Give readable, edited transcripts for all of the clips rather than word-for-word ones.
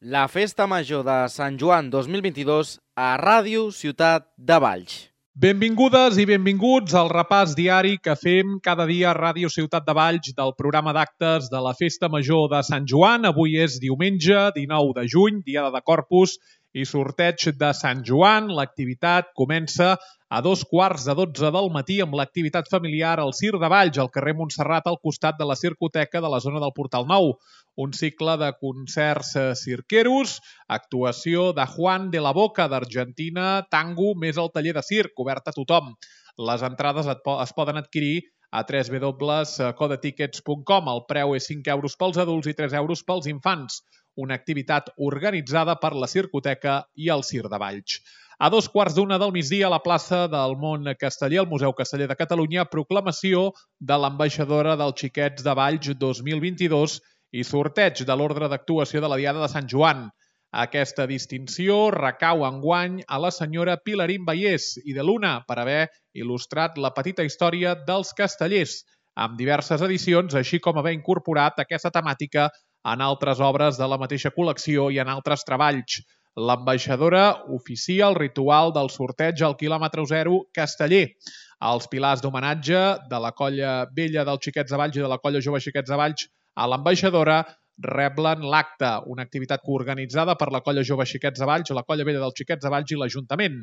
La Festa Major de Sant Joan 2022 a Ràdio Ciutat de Valls. Benvingudes i benvinguts al repàs diari que fem cada dia a Ràdio Ciutat de Valls del programa d'actes de la Festa Major de Sant Joan. Avui és diumenge, 19 de juny, dia de Corpus i sorteig de Sant Joan. L'activitat comença a 11:45 del matí amb l'activitat familiar al Cir de Valls, al carrer Montserrat, al costat de la Circoteca de la zona del Portal Nou. Un cicle de concerts cirqueros, actuació de Juan de la Boca d'Argentina, tango, més el taller de circ, obert a tothom. Les entrades es poden adquirir a www.codetickets.com. El preu és 5 euros pels adults i 3 euros pels infants. Una activitat organitzada per la Circoteca i el Cir de Valls. A 2:15 del migdia, a la plaça del Món Casteller, al Museu Casteller de Catalunya, proclamació de l'ambaixadora dels Xiquets de Valls 2022 i sorteig de l'ordre d'actuació de la Diada de Sant Joan. Aquesta distinció recau enguany a la senyora Pilarín Vallès i de Luna per haver il·lustrat la petita història dels castellers, amb diverses edicions, així com haver incorporat aquesta temàtica en altres obres de la mateixa col·lecció i en altres treballs. L'ambaixadora oficia el ritual del sorteig al quilòmetre zero casteller. Els pilars d'homenatge de la Colla Vella dels Xiquets de Valls i de la Colla Jove Xiquets de Valls a l'ambaixadora reblen l'acte, una activitat coorganitzada per la Colla Jove Xiquets de Valls, la Colla Vella dels Xiquets de Valls i l'Ajuntament.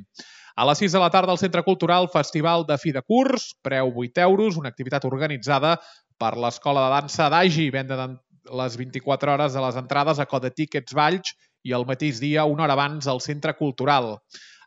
A les 6 de la tarda al Centre Cultural Festival de Fi de Curs, preu 8 euros, una activitat organitzada per l'Escola de Dansa d'Agi, venda de les 24 hores de les entrades a Codetickets Valls i el mateix dia, una hora abans, al Centre Cultural.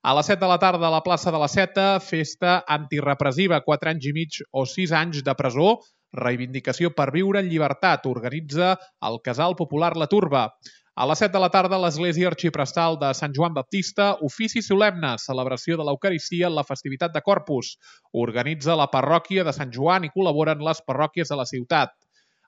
A les 7 de la tarda a la plaça de la Seta, festa antirepressiva, 4 anys i mig o 6 anys de presó, reivindicació per viure en llibertat, organitza el Casal Popular La Turba. A les 7 de la tarda, l'Església Arxiprestal de Sant Joan Baptista, ofici solemne, celebració de l'Eucaristia en la festivitat de Corpus. Organitza la parròquia de Sant Joan i col·laboren les parròquies de la ciutat.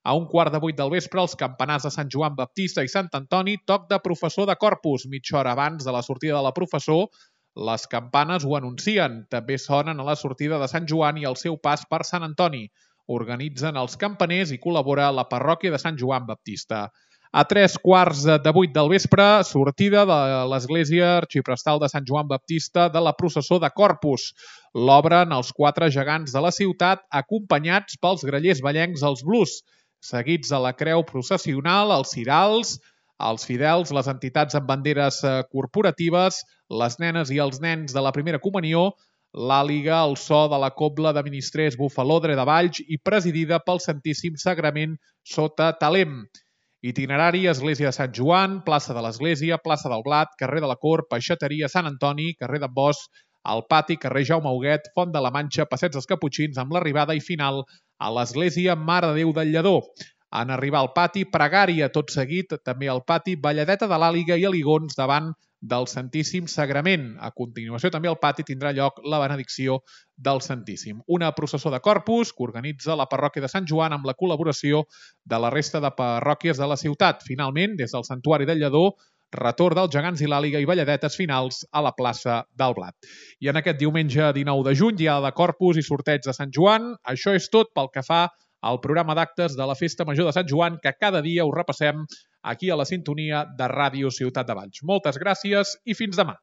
A 7:15 del vespre, els campanars de Sant Joan Baptista i Sant Antoni, toc de professor de Corpus. Mitja hora abans de la sortida de la professor, les campanes ho anuncien. També sonen a la sortida de Sant Joan i al seu pas per Sant Antoni. Organitzen els campaners i col·labora la parròquia de Sant Joan Baptista. A 7:15 del vespre, sortida de l'Església Arxiprestal de Sant Joan Baptista de la processó de Corpus. L'obren els 4 gegants de la ciutat, acompanyats pels grallers vallencs als Blues, seguits a la creu processional, els cirals, els fidels, les entitats amb banderes corporatives, les nenes i els nens de la primera comunió, l'àliga al so de la cobla de ministrers Bufalodre de Valls i presidida pel Santíssim Sagrament sota Talem. Itinerari: Església de Sant Joan, plaça de l'Església, plaça del Blat, carrer de la Cort, peixateria Sant Antoni, carrer d'en Bosch, al pati, carrer Jaume Huguet, Font de la Manxa, passeig dels Caputxins, amb l'arribada i final a l'Església Mare de Déu del Lledó. En arribar al pati, pregària, tot seguit, també al pati, balladeta de l'àliga i aligons davant del Santíssim Sagrament. A continuació, també al pati tindrà lloc la benedicció del Santíssim. Una processó de Corpus que organitza la parròquia de Sant Joan amb la col·laboració de la resta de parròquies de la ciutat. Finalment, des del Santuari del Lledó, retorn dels gegants i l'àliga i balladetes finals a la plaça del Blat. I en aquest diumenge 19 de juny, dia de Corpus i sorteig de Sant Joan, això és tot pel que fa al programa d'actes de la Festa Major de Sant Joan, que cada dia us repassem aquí a la sintonia de Ràdio Ciutat de Valls. Moltes gràcies i fins demà.